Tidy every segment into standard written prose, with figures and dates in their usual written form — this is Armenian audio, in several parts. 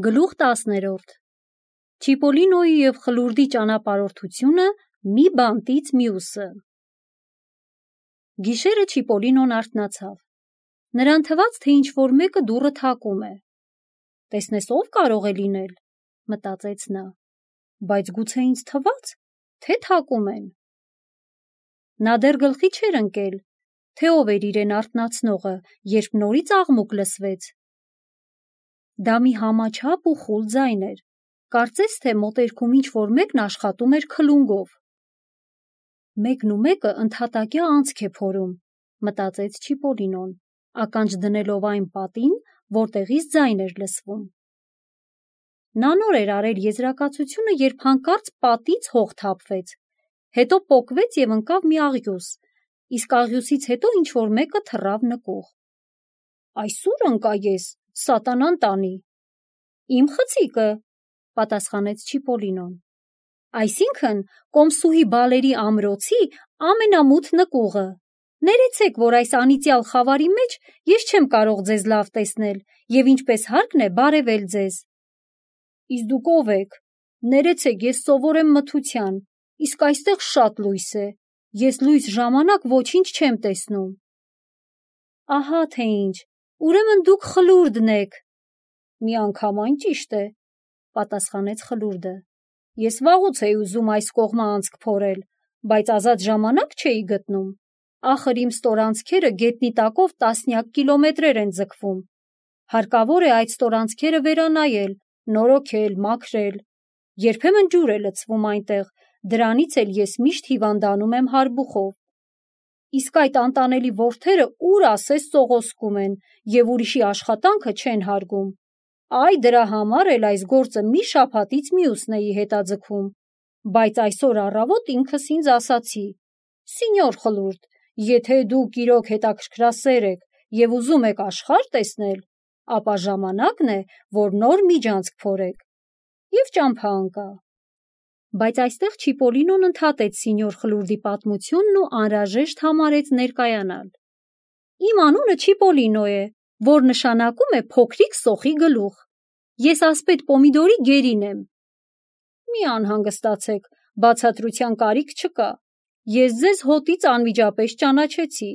Գլուխ 10 Չիպոլինոյի և խլուրդի ճանապարհորդությունը մի բանտից մյուսը։ Գիշերը Չիպոլինոն արթնացավ։ Նրան թվաց, թե ինչ-որ մեկը դուռը թակում է։ «Տեսնես ով կարող է լինել», մտածեց նա, բայց գուցե ինձ թվաց, թե թակում են։ Նա դեռ գլխի չէր ընկել, թե ով էր իրեն արթնացնողը, երբ նորից աղմուկ լսվեց։ Դա մի համաչափ ու խուլ ձայն էր, կարծես թե մոտերքում ինչ-որ մեկն աշխատում էր քլունգով։ Մեկն ու մեկը ընդհատակյա անցք է փորում, մտածեց Չիպոլինոն, ականջ դնելով այն պատին, որտեղից ձայն էր լսվում։ Նա նոր էր արել եզրակացությունը, երբ հանկարծ պատից հող թափվեց, հետո պոկվեց և ընկավ մի աղյուս, իսկ աղյուսից հետո ինչ-որ մեկը թռավ նկուղ։ «Այս ո՞ւր ընկա ես, սատանան տանի»։ «Իմ խցիկը», պատասխանեց Չիպոլինոն։ «Այսինքն կոմսուհի Բալերի ամրոցի ամենամութ նկուղը։ Ներեցեք, որ այս անիծյալ խավարի մեջ ես չեմ կարող ձեզ լավ տեսնել և ինչպես հարկն է բարևել ձեզ»։ «Իսկ դուք ով եք»։ «Ներեցեք, ես սովոր եմ մթության, իսկ այստեղ շատ լույս է, ես լույս ժամանակ ոչինչ չեմ տեսնում»։ «Ահա թե ինչ, ուրեմն դուք խլուրդն եք»։ «Միանգամայն ճիշտ է», պատասխանեց խլուրդը։ «Ես վաղուց էի ուզում այս կողմը անցք փորել, բայց ազատ ժամանակ չէի գտնում։ Ախր իմ ստորանցքերը գետնի տակով տասնյակ կիլոմետրեր են ձգվում։ Հարկավոր է այդ ստորանցքերը վերանայել, նորոգել, մաքրել։ Երբեմն ջուր է լցվում այնտեղ, դրանից էլ ես միշտ հիվանդանում եմ հարբուխով։ Իսկ այդ անտանելի որդերը ուր ասես սողոսկում են և ուրիշի աշխատանքը չեն հարգում։ Այ դրա համար էլ այս գործը մի շաբաթից մյուսն էի հետաձգում, բայց այսօր առավոտ ինքս ինձ ասացի. «Սինյոր խլուրդ, եթե դուք իրոք հետաքրքրասեր եք և ուզում եք աշխարհ տեսնել, ապա ժամանակն է, որ նոր միջանցք փորեք»։ Եվ ճամփա ընկա։ Բայց այստեղ Չիպոլինոն ընդհատեց սինյոր խլուրդի պատմությունն ու անհրաժեշտ համարեց ներկայանալ։ «Իմ անունը Չիպոլինո է, որ նշանակում է փոքրիկ սոխի գլուխ։ Ես ասպետ Պոմիդորի գերին եմ»։ «Մի անհանգստացեք, բացատրության կարիք չկա։ Ես ձեզ հոտից անմիջապես ճանաչեցի։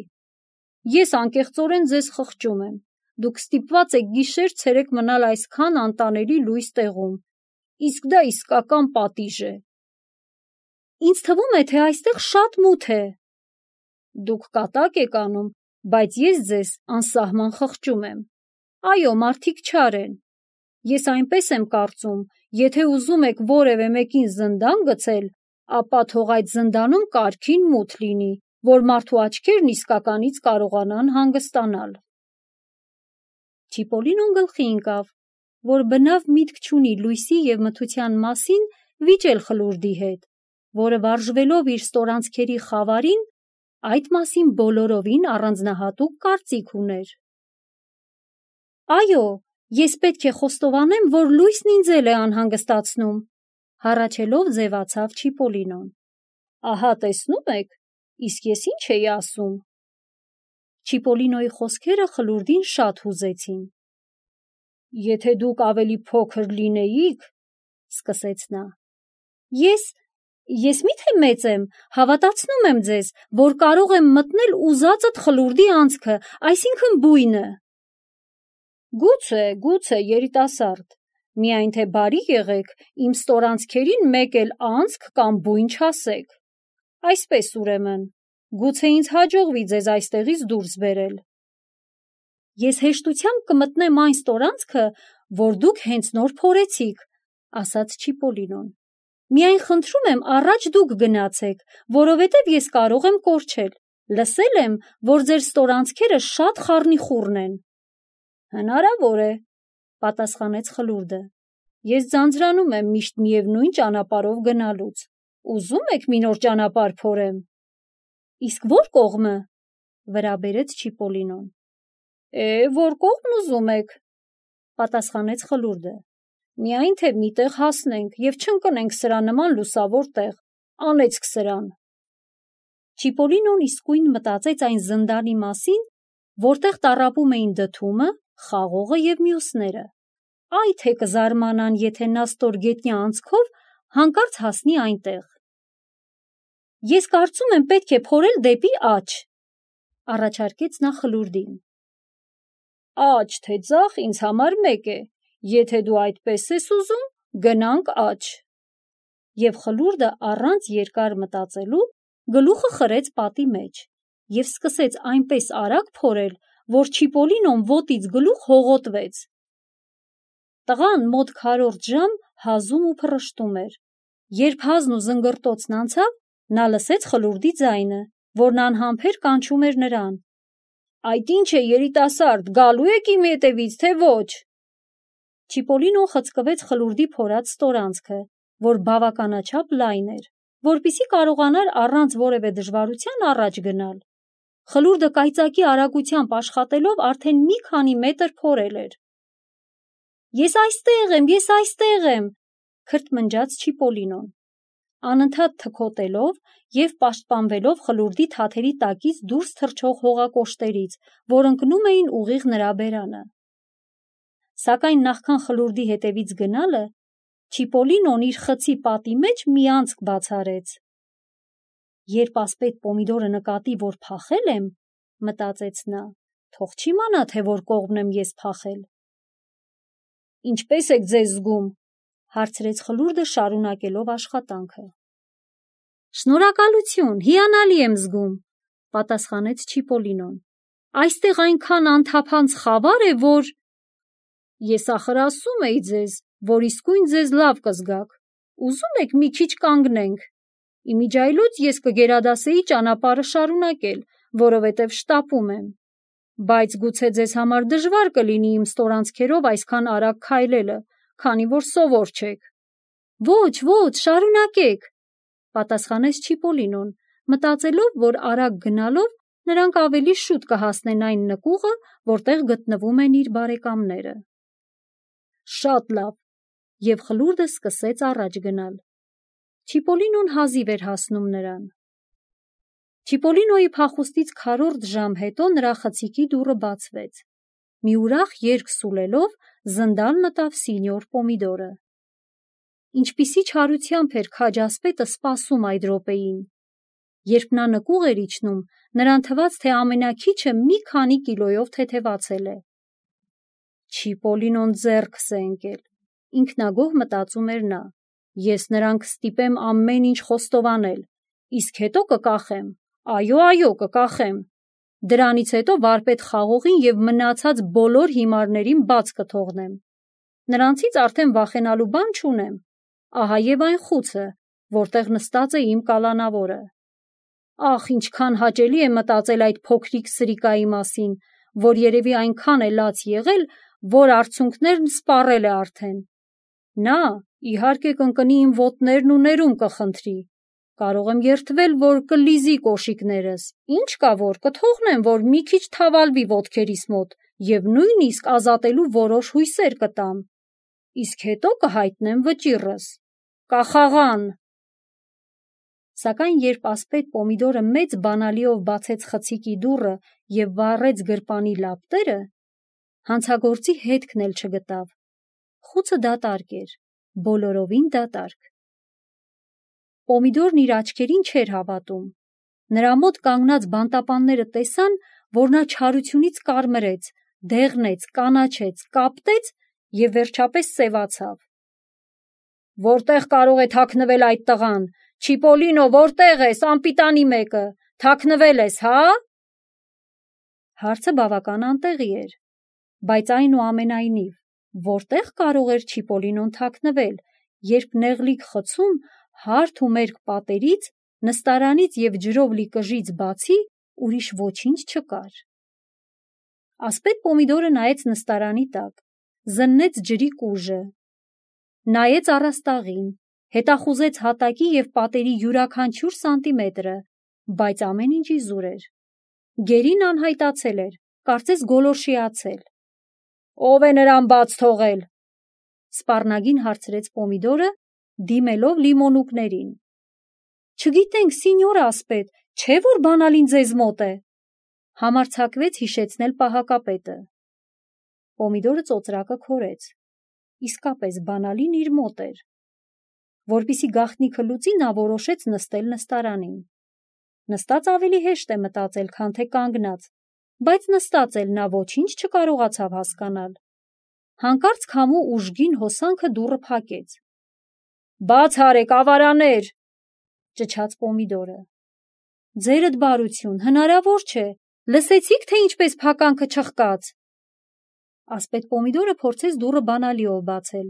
Ես անկեղծորեն ձեզ խղճում եմ։ Դուք ստիպված եք գիշեր-ցերեկ մնալ այսքան անտանելի լույս տեղում, իսկ դա իսկական պատիժ է»։ «Ինձ թվում է, թե այստեղ շատ մութ է»։ «Դուք կատակ եք անում, բայց ես ձեզ անսահման խղճում եմ։ Այո, մարդիկ չար են։ Ես այնպես եմ կարծում, եթե ուզում եք որևէ մեկին զնդան գցել, ապա թող այդ զնդանում կարգին մութ լինի, որ մարդու աչքերն իսկականից կարողանան հանգստանալ»։ Չիպոլինոն գլխի ընկավ, որ բնավ միտք չունի լույսի և մթության մասին վիճել խլուրդի հետ, որը վարժվելով իր ստորանցքերի խավարին, այդ մասին բոլորովին առանձնահատուկ կարծիք ուներ։ «Այո, ես պետք է խոստովանեմ, որ լույսն ինձ էլ է անհանգստացնում», հառաչելով ձևացավ Չիպոլինոն։ «Ահա տեսնում եք, իսկ ես ինչ էի ասում»։ Չիպոլինոյի խոսքերը խլուրդին շատ հուզեցին։ «Եթե դուք ավելի փոքր լինեիք», սկսեց նա։ Ես մի՞թե մեծ եմ, հավատացնում եմ ձեզ, որ կարող եմ մտնել ուզածդ խլուրդի անցքը, այսինքն բույնը»։ Գուցե, երիտասարդ, միայն թե բարի եղեք, իմ ստորանցքերին մեկ էլ անցք կամ բույն չասեք։ Այսպես ուրեմն, գուցե ինձ հաջողվի ձեզ այստեղից դուրս բերել։ «Ես հեշտությամբ կմտնեմ այն ստորանցքը, որ դուք հենց նոր փորեցիք», ասաց Չիպոլինոն։ «Միայն խնդրում եմ առաջ դուք գնացեք, որովհետև ես կարող եմ կորչել։ Լսել եմ, որ ձեր ստորանցքերը շատ խառնիխուռն են»։ «Հնարավոր է», պատասխանեց խլուրդը։ «Ես ձանձրանում եմ միշտ միևնույն ճանապարհով գնալուց։ Ուզում եք մի նոր ճանապարհ փորեմ»։ «Իսկ ո՞ր կողմը», վրա բերեց Չիպոլինոն։ «Որ կողմն ուզում եք», պատասխանեց խլուրդը։ «Միայն թե մի տեղ հասնենք և չընկնենք սրա նման լուսավոր տեղ, անեծք սրան»։ Չիպոլինոն իսկույն մտածեց այն զնդանի մասին, որտեղ տառապում էին դդումը, խաղողը և մյուսները։ Այ թե կզարմանան, եթե նա ստորգետնյա անցքով հանկարծ հասնի այնտեղ։ Ես կարծում եմ պետք է փորել դեպի աջ, առաջարկեց նա խլուրդին։ Աջ թե ձախ ինձ համար մեկ է, եթե դու այդպես ես ուզում, գնանք աջ։ Եվ խլուրդը առանց երկար մտածելու գլուխը խրեց պատի մեջ և սկսեց այնպես արագ փորել, որ Չիպոլինոն ոտից գլուխ հողոտվեց։ Տղան մոտ քառորդ ժամ հազում ու փռշտում էր։ Երբ հազն ու զնգռտոցն անցավ, նա լսեց խլուրդի ձայնը, որն անհամբեր կանչում էր նրան։ Այդ ինչ է, երիտասարդ, գալու եք իմ ետևից, թե ոչ։ Չիպոլինոն խցկվեց խլուրդի փորած ստորանցքը, որ բավականաչափ լայն էր, որպեսզի կարողանար առանց որևէ դժվարության առաջ գնալ։ Խլուրդը կայծակի արագությամբ աշխատելով արդեն մի քանի մետր փորել էր։ Ես այստեղ եմ, քրթմնջաց Չիպոլինոն, անընդհատ թքոտելով և պաշտպանվելով խլուրդի թաթերի տակից դուրս թռչող հողակոշտերից, որ ընկնում էին ուղիղ նրա բերանը։ Սակայն նախքան խլուրդի հետևից գնալը, Չիպոլինոն իր խցի պատի մեջ մի անցք բացարեց։ Երբ ասպետ Պոմիդորը նկատի, որ փախել եմ, մտածեց նա, թող չիմանա, թե որ կողմն եմ ես փախել։ Ինչպե՞ս եք ձեզ զգում, հարցրեց խլուրդը շարունակելով աշխատանքը։ Շնորհակալություն, հիանալի եմ զգում, պատասխանեց Չիպոլինոն։ Այստեղ այնքան անթափանց խավար է, որ… Ես ախր ասում էի ձեզ, որ իսկույն ձեզ լավ կզգաք։ Ուզում եք մի քիչ կանգնենք։ Իմիջիայլոց ես կգերադասեի ճանապարհը շարունակել, որովհետև շտապում եմ։ Բայց գուցե ձեզ համար դժվար կլինի իմ ստորանցքերով այսքան արագ քայլելը, քանի որ սովոր չեք։ Ոչ, շարունակեք, պատասխանեց Չիպոլինոն, մտածելով, որ արագ գնալով նրանք ավելի շուտ կհասնեն այն նկուղը, որտեղ գտնվում են իր բարեկամները։ Շատ լավ, և խլուրդը սկսեց առաջ գնալ։ Չիպոլինոն հազիվ էր հասնում նրան։ Չիպոլինոյի փախուստից քառորդ ժամ հետո նրա խցիկի դուռը բացվեց։ Մի ուրախ երգ սուլելով զնդան մտավ սինյոր Պոմիդորը։ Ինչպիսի չարությամբ էր քաջ ասպետը սպասում այդ րոպեին։ Երբ նա նկուղ էր իջնում, նրան թվաց, թե ամենաքիչը մի քանի կիլոյով թեթևացել է։ Չիպոլինոն ձեռքս է ընկել, ինքնագոհ մտածում էր նա։ Ես նրան կստիպեմ ամեն ինչ խոստովանել, իսկ հետո կկախեմ, այո, կկախեմ։ Դրանից հետո վարպետ խաղողին և մնացած բոլոր հիմարներին բաց կթողնեմ։ Նրանցից արդեն վախենալու բան չունեմ։ Ահա և այն խուցը, որտեղ նստած է իմ կալանավորը։ Ախ, ինչքան հաճելի է մտածել այդ փոքրիկ սրիկայի մասին, որ երևի այնքան է լաց եղել, որ արցունքներն սպառել է արդեն։ Նա, իհարկե, կընկնի իմ ոտներն ու ներում կխնդրի։ Կարող եմ երդվել, որ կլիզի կոշիկներս, ինչ կա որ կթողնեմ, որ մի քիչ թավալվի ոտքերիս մոտ և նույնիսկ ազատելու որոշ հույսեր կտամ, իսկ հետո կհայտնեմ վճիռս։ Կախաղան։ Սակայն երբ ասպետ Պոմիդորը մեծ բանալիով բացեց խցիկի դուռը և վառեց գրպանի լապտերը, հանցագործի հետքն էլ չգտավ։ Խուցը դատարկ էր, բոլորովին դատարկ։ Պոմիդորն իր աչքերին չէր հավատում։ Նրա մոտ կանգնած բանտապանները տեսան, որ նա չարությունից կարմրեց, դեղնեց, կանաչեց, կապտեց և վերջապես սևացավ։ Որտե՞ղ կարող է թաքնվել այդ տղան։ Չիպոլինո, որտե՞ղ ես, անպիտանի մեկը, թաքնվել ես, հա՞։ Հարցը բավական անտեղի էր, բայց այնուամենայնիվ, որտե՞ղ կարող էր Չիպոլինոն թաքնվել, երբ նեղլիկ խցում, հարթ ու մերկ պատերից, նստարանից և ջրով լի կժից բացի ուրիշ ոչինչ չկար։ Ասպետ Պոմիդորը նայեց նստարանի տակ, զննեց ջրի կուժը, նայեց առաստաղին, հետախուզեց հատակի և պատերի յուրաքանչյուր սանտիմետրը, բայց ամեն ինչ իզուր էր։ Գերին անհայտացել էր, կարծես գոլորշիացել։ Ո՞վ է նրան բաց թողել, սպառնագին հարցրեց Պոմիդորը, դիմելով լիմոնուկներին։ Չգիտենք, սինյոր ասպետ, չէ՞ որ բանալին ձեզ մոտ է, համարձակվեց հիշեցնել պահակապետը։ Պոմիդորը ծոծրակը քորեց։ իսկապես բանալին իր մոտ էր։ Որպեսզի գաղտնիքը լուծի, նա որոշեց նստել նստարանին։ Նստած ավելի հեշտ է մտածել, քան թե կանգնած, բայց նստած էլ նա ոչինչ չկարողացավ հասկանալ։ Հանկարծ քամու ուժգին հոսանքը դուռը փակեց։ «Բաց արեք, ավարաներ», ճչաց Պոմիդորը։ «Ձերդ բարություն, հնարավոր չէ, լսեցիք, թե ինչպես փականքը չխկաց»։ Ասպետ Պոմիդորը փորձեց դուռը բանալիով բացել,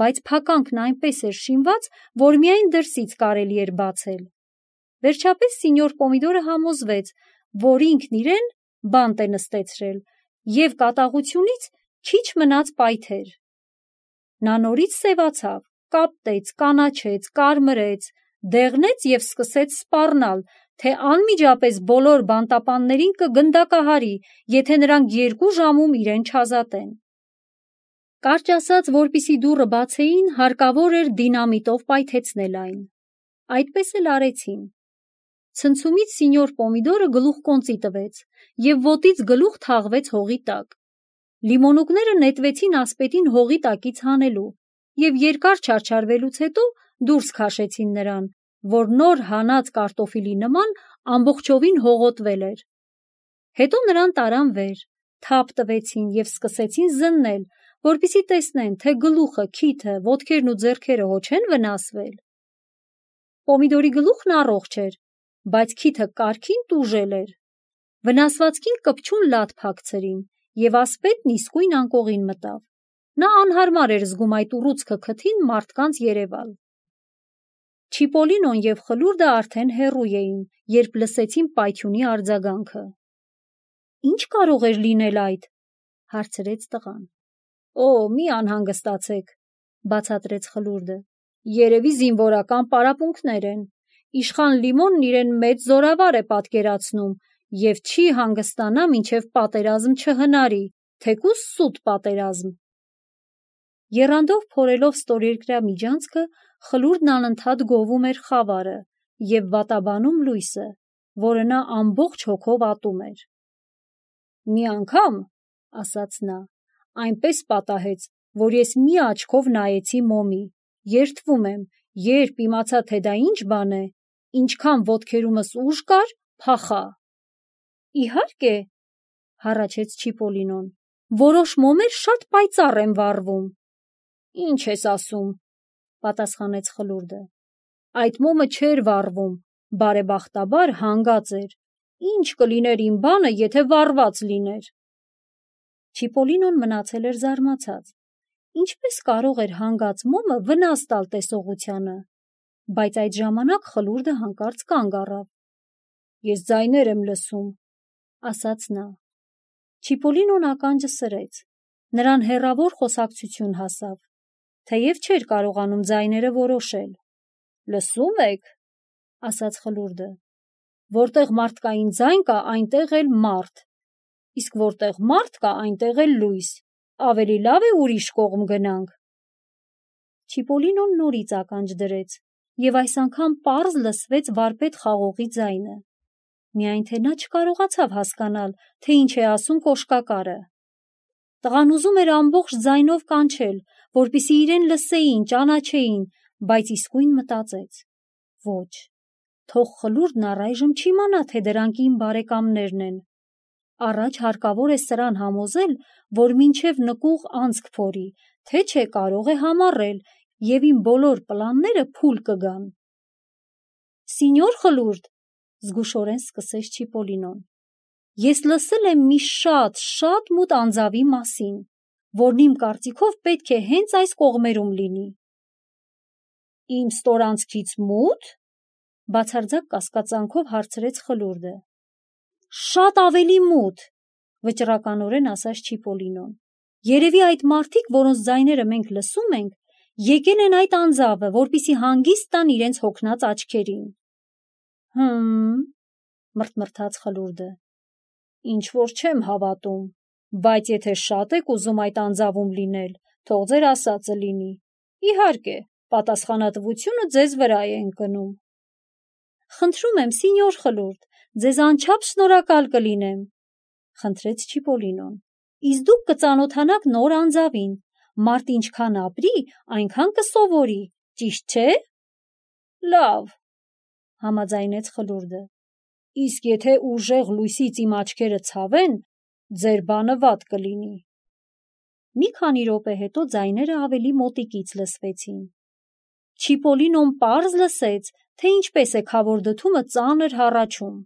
բայց փականքն այնպես էր շինված, որ միայն դրսից կարելի էր բացել։ Վերջապես սինյոր Պոմիդորը համոզվեց, որ ինքն իրեն բանտ է նստեցրել և կատաղությունից քիչ մնաց պայթեր։ Նա նորից սևացավ, կապտեց, կանաչեց, կարմրեց, դեղնեց և սկսեց սպառնալ, թե անմիջապես բոլոր բանտապաններին կգնդակահարի, եթե նրանք 2 ժամում իրեն չազատեն։ Կարճ ասած, որպեսզի դուռը բացեին, հարկավոր էր դինամիտով պայթեցնել այն։ Այդպես էլ արեցին։ Ցնցումից սինյոր Պոմիդորը գլուխկոնծի տվեց և ոտից գլուխ թաղվեց հողի տակ։ Լիմոնուկները նետվեցին ասպետին հողի տակից հանելու և երկար չարչարվելուց հետո դուրս քաշեցին նրան, որ նոր հանած կարտոֆիլի նման ամբողջովին հողոտվել էր։ Հետո նրան տարան վեր, թափ տվեցին և սկսեցին զննել, որպեսզի տեսնեն, թե գլուխը, քիթը, ոտքերն ու ձեռքերը հո չեն վնասվել։ Պոմիդորի գլուխն առողջ էր, բայց քիթը կարգին տուժել էր։ Վնասվածքին կպչուն լատ փակցրին, և ասպետն իսկույն անկողին մտավ։ Նա անհարմար էր զգում այդ ուռուցքը քթին մարդկանց երևալ։ Չիպոլինոն և Խլուրդը արդեն հեռու էին, երբ լսեցին պայթյունի արձագանքը։ «Ինչ կարող էր լինել այդ», հարցրեց տղան։ «Օ, մի անհանգստացեք», բացատրեց Խլուրդը։ «Երևի զինվորական պարապմունքներ են։ Իշխան Լիմոնն իրեն մեծ զորավար է պատկերացնում և չի հանգստանա, մինչև պատերազմ չհնարի, թեկուզ սուտ պատերազմ»։ Եռանդով փորելով ստորերկրյա միջանցքը, Խլուրդն անընդհատ գովում էր խավարը և վատաբանում լույսը, որը նա ամբողջ հոգով ատում էր։ «Մի անգամ, — ասաց նա, — այնպես պատահեց, որ ես մի աչքով նայեցի մոմի, երդվում եմ, երբ իմացա, թե դա ինչ բան է, ինչքան ոտքերումս ուժ կար, փախա»։ «Իհարկե, — հառաչեց Չիպոլինոն, — որոշ մոմեր շատ պայծառ են վառվում»։ «Ինչ ես ասում», — պատասխանեց Խլուրդը։ «Այդ մոմը չէր վառվում, բարեբախտաբար հանգած էր։ Ինչ կլիներ իմ բանը, եթե վառված լիներ»։ Չիպոլինոն մնացել էր զարմացած։ Ինչպես կարող էր հանգած մոմը վնաս տալ տեսողությանը, բայց այդ ժամանակ Խլուրդը հանկարծ կանգ առավ։ «Ես ձայներ եմ լսում», — ասաց նա։ Չիպոլինոն ականջը սրեց։ Նրան հեռավոր խոսակցություն հասավ, թեև չէր կարողանում ձայները որոշել։ «Լսում եք», — ասաց Խլուրդը։ «Որտեղ մարդկային ձայն կա, այնտեղ էլ մարդ, իսկ որտեղ մարդ կա, այնտեղ էլ լույս։ Ավելի լավ է ուրիշ կողմ գնանք»։ Չիպոլինոն նորից ականջ դրեց, և այս անգամ պարզ լսվեց վարպետ խաղողի ձայնը։ Միայն թե նա չկարողացավ հասկանալ, թե ինչ է ասում կոշկակարը։ Տղան ուզում էր ամբողջ ձայնով կանչել, որպեսզի իրեն լսեին, ճանաչեին, բայց իսկույն մտածեց. ոչ, թող Խլուրդն առայժմ չիմանա, թե դրանք իմ բարեկամներն են։ Առաջ հարկավոր է սրան համոզել, որ մինչև նկուղ անցք փորի, թե չէ կարող է համառել, և իմ բոլոր պլանները փուլ կգան։ «Սինյոր Խլուրդ, — զգուշորեն սկսեց Չիպոլինոն, — ես լսել եմ մի շատ մութ անձավի մասին, որն իմ կարծիքով պետք է հենց այս կողմերում լինի»։ «Իմ ստորանցքից մո՞ւթ», — բացարձակ կասկածանքով հարցրեց Խլուրդը։ «Շատ ավելի մութ», — վճռականորեն ասաց Չիպոլինոն։ «Երևի այդ մարդիկ, որոնց ձայները մենք լսում ենք, եկել են այդ անձավը, որպեսզի հանգիստ տան իրենց հոգնած աչքերին»։ «Հը՛մ», — մռթմռթաց Խլուրդը, «ինչ-որ չեմ հավատում, բայց եթե շատ եք ուզում այդ անձավում լինել, թող ձեր ասածը լինի։ Իհարկե, պատասխանատվությունը ձեզ վրա է ընկնում»։ «Խնդրում եմ, սինյոր Խլուրդ, ձեզ անչափ շնորհակալ կլինեմ», — խնդրեց Չիպոլինոն։ «Իսկ դուք կծանոթանաք նոր անձավին, մարդ ինչքան ապրի, այնքան կսովորի, ճիշտ չէ։ Լավ, համաձայնեց Խլուրդը, իսկ եթե ուժեղ լույսից իմ աչքերը ցավեն, ձեր բանը վատ կլինի։ Մի քանի րոպե հետո ձայները ավելի մոտիկից լսվեցին։ Չիպոլինոն պարզ լսեց, թե ինչպես է քավոր դդումը ծանր հառաչում։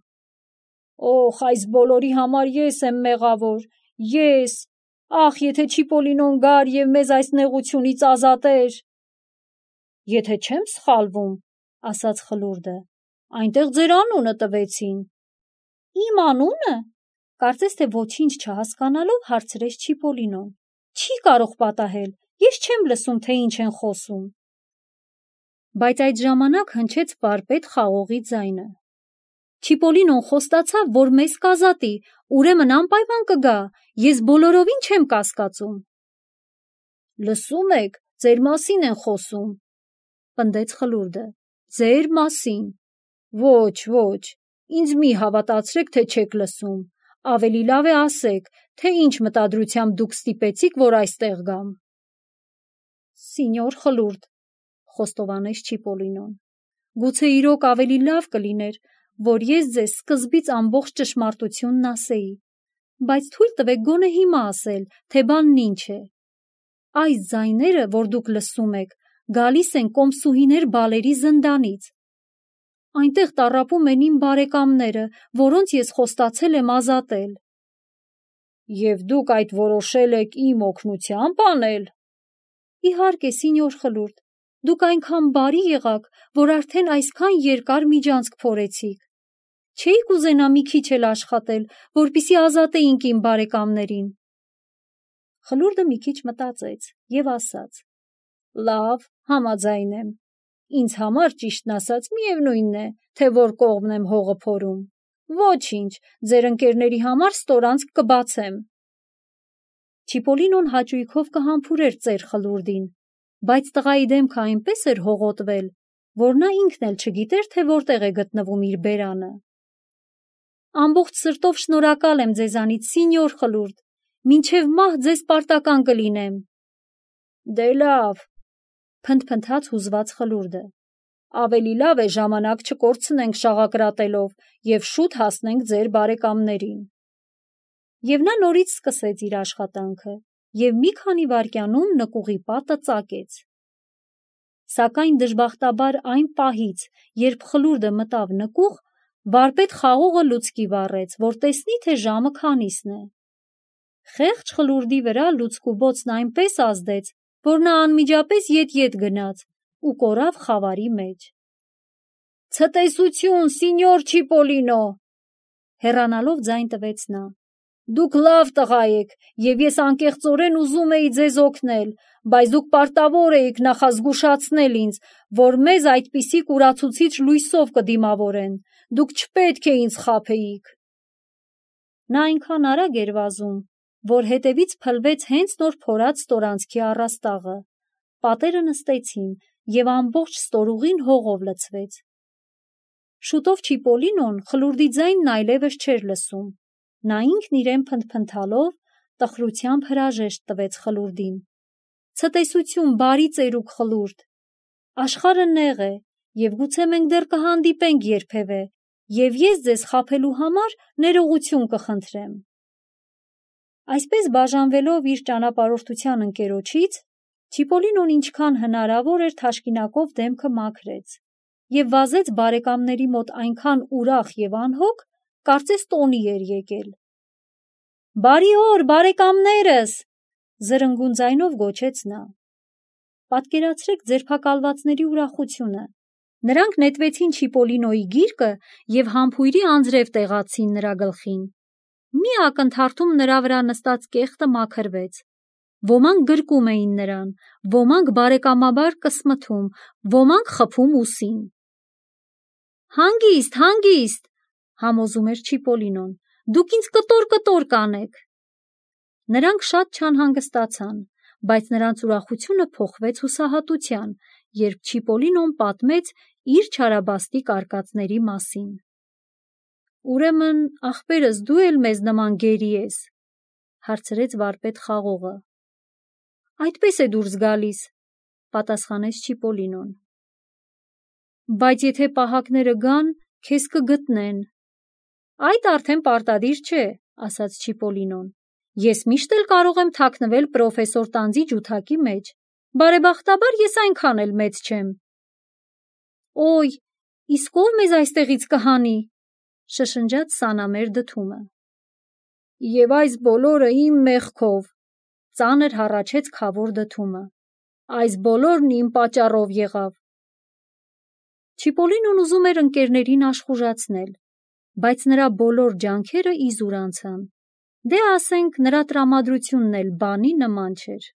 Օխ, այս բոլորի համար ես եմ մեղավոր, ես, ախ, եթե Չիպոլինոն գար և մեզ այս նեղությունից ազատեր։ Եթե չեմ սխալվում, ասաց Խլուրդը, այնտեղ ձեր անունը տվեցին։ Իմ անունը, կարծես թե ոչինչ չհասկանալով հարցրեց Չիպոլինոն։ Չի կարող պատահել, ես չեմ լսում, թե ինչ են խոսում։ Բայց այդ ժամանակ հնչեց վարպետ խաղողի ձայնը։ Չիպոլինոն խոստացավ, որ մեզ կազատի, ուրեմն անպայման կգա, ես բոլորովին չեմ կասկածում։ Լսում եք, ձեր մասին են խոսում, պնդեց Խլուրդը, ձեր մասին։ Ոչ, ինձ մի հավատացրեք, թե չեք լսում, ավելի լավ է ասեք, թե ինչ մտադրությամբ դուք ստիպեցիք, որ այստեղ գամ։ Սինյոր Խլուրդ, խոստովանեց Չիպոլինոն, գուցե իրոք ավելի լավ կլիներ, որ ես ձեզ սկզբից ամբողջ ճշմարտությունն ասեի, բայց թույլ տվեք գոնե հիմա ասել, թե բանն ինչ է։ Այս ձայները, որ դուք լսում եք, գալիս են կոմսուհիներ բալերի զնդանից։ Այնտեղ տառապում են իմ բարեկամները, որոնց ես խոստացել եմ ազատել։ Եվ դուք այդ որոշել եք իմ օգնությամբ անել։ Իհարկե, սինյոր Խլուրդ, դուք այնքան բարի եղաք, որ արդեն այսքան երկար միջանցք փորեցիք։ Չէի կուզենա մի քիչ էլ աշխատել, որպեսզի ազատեինք իմ բարեկամներին։ Խլուրդը մի քիչ մտածեց և ասաց. Լավ, համաձայն եմ։ Ինձ համար ճիշտն ասած միևնույնն է, թե որ կողմն եմ հողը փորում։ Ոչինչ, ձեր ընկերների համար ստորանցք կբացեմ։ Չիպոլինոն հաճույքով կհամբուրեր ծեր Խլուրդին, բայց տղայի դեմքը այնպես էր հողոտվել, որ նա ինքն էլ չգիտեր, թե որտեղ է գտնվում իր բերանը։ Ամբողջ սրտով շնորհակալ եմ ձեզանից, սինյոր Խլուրդ, մինչև մահ ձեզ պարտական կլինեմ։ Դե լավ, փնթփնթաց հուզված Խլուրդը, ավելի լավ է ժամանակ չկորցնենք շաղակրատելով և շուտ հասնենք ձեր բարեկամներին։ Եվ նա նորից սկսեց իր աշխատանքը և մի քանի վայրկյանում նկուղի պատը ծակեց։ Սակայն դժբախտաբար այն պահից, երբ Խլուրդը մտավ նկուղ, վարպետ խաղողը լուցկի վառեց, որ տեսնի, թե ժամը քանիսն է։ Խեղճ Խլուրդի վրա լուցկու բոցն այնպես ազդեց, որ նա անմիջապես ետ գնաց ու կորավ խավարի մեջ։ Ցտեսություն, սինյոր Չիպոլինո, հեռանալով ձայն տվեց նա։ Դուք լավ տղա եք, և ես անկեղծորեն ուզում էի ձեզ օգնել, բայց դուք պարտավոր էիք նախազգուշացնել ինձ, որ մեզ այդպիսի կուրացուցիչ լույսով կդիմավորեն, դուք չպետք է ինձ խաբեիք։ Նա այնքան արագ էր վազում, որ հետևից փլվեց հենց նոր փորած ստորանցքի առաստաղը, պատերը նստեցին և ամբողջ ստորուղին հողով լցվեց։ Շուտով Չիպոլինոն Խլուրդի ձայնն այլևս չէր լսում, նա ինքն իրեն փնթփնթալով տխրությամբ հրաժեշտ տվեց Խլուրդին։ Ցտեսություն, բարի ծերուկ Խլուրդ, աշխարհը նեղ է, և գուցե մենք դեռ կհանդիպենք երբևէ, և ես ձեզ խաբելու համար ներողություն կխնդրեմ։ Այսպես բաժանվելով իր ճանապարհորդության ընկերոջից, Չիպոլինոն ինչքան հնարավոր էր թաշկինակով դեմքը մաքրեց և վազեց բարեկամների մոտ այնքան ուրախ և անհոգ, կարծես տոնի էր եկել։ Բարի օր, բարեկամներս, զրնգուն ձայնով գոչեց նա։ Պատկերացրեք ձերբակալվածների ուրախությունը։ Նրանք նետվեցին Չիպոլինոյի գիրկը և համբույրի անձրև տեղացին նրա գլխին։ Մի ակնթարթում նրա վրա նստած կեղտը մաքրվեց։ Ոմանք գրկում էին նրան, ոմանք բարեկամաբար կսմթում, ոմանք խփում ուսին։ Հանգիստ, հանգիստ, համոզում էր Չիպոլինոն, դուք ինձ կտոր կանեք։ Նրանք շատ չանհանգստացան, բայց նրանց ուրախությունը փոխվեց հուսահատության, երբ Չիպոլինոն պատմեց իր չարաբաստիկ արկածների մասին։ Ուրեմն, ախպերս, դու էլ մեզ նման գերի ես, հարցրեց վարպետ խաղողը։ Այդպես է դուրս գալիս, պատասխանեց Չիպոլինոն։ Բայց եթե պահակները գան, քեզ կգտնեն։ Այդ արդեն պարտադիր չէ, ասաց Չիպոլինոն։ Ես միշտ էլ կարող եմ թաքնվել պրոֆեսոր տանձի ջութակի մեջ։ Բարեբախտաբար ես այնքան էլ մեծ չեմ։ Օй, իսկ ով մեզ այստեղից կհանի, շշնջաց սանամեր դդումը։ Եվ այս բոլորը իմ մեղքով, ծանր հառաչեց քավոր դդումը։ Այս բոլորն իմ պատճառով եղավ։ Չիպոլինոն ուզում էր ընկերներին աշխուժացնել, բայց նրա բոլոր ջանքերը իզուր անցան։ Դե ասենք, նրա տրամադրությունն էլ բանի նման չէր։